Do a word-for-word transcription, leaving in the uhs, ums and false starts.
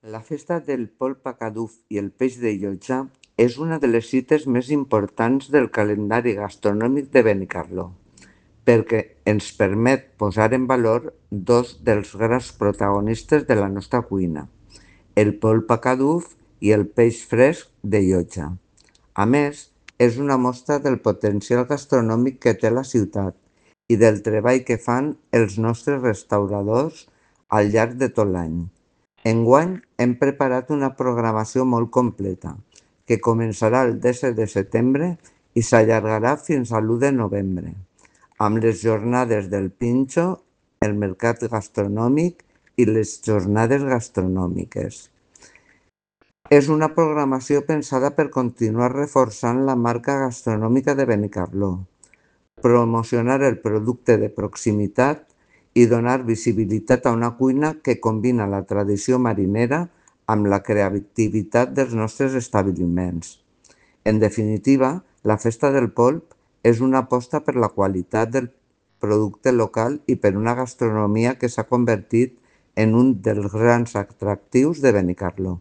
La festa del polp a Caduf i el peix de Llotja és una de les cites més importants del calendari gastronòmic de Benicarló, perquè ens permet posar en valor dos dels grans protagonistes de la nostra cuina, el polp a Caduf i el peix fresc de Llotja. A més, és una mostra del potencial gastronòmic que té la ciutat i del treball que fan els nostres restauradors al llarg de tot l'any. Enguany hem preparat una programació molt completa, que començarà el disset de setembre i s'allargarà fins a l'u de novembre, amb les jornades del Pinxo, el mercat gastronòmic i les jornades gastronòmiques. És una programació pensada per continuar reforçant la marca gastronòmica de Benicarló, promocionar el producte de proximitat i donar visibilitat a una cuina que combina la tradició marinera amb la creativitat dels nostres establiments. En definitiva, la Festa del Polp és una aposta per la qualitat del producte local i per una gastronomia que s'ha convertit en un dels grans atractius de Benicarló.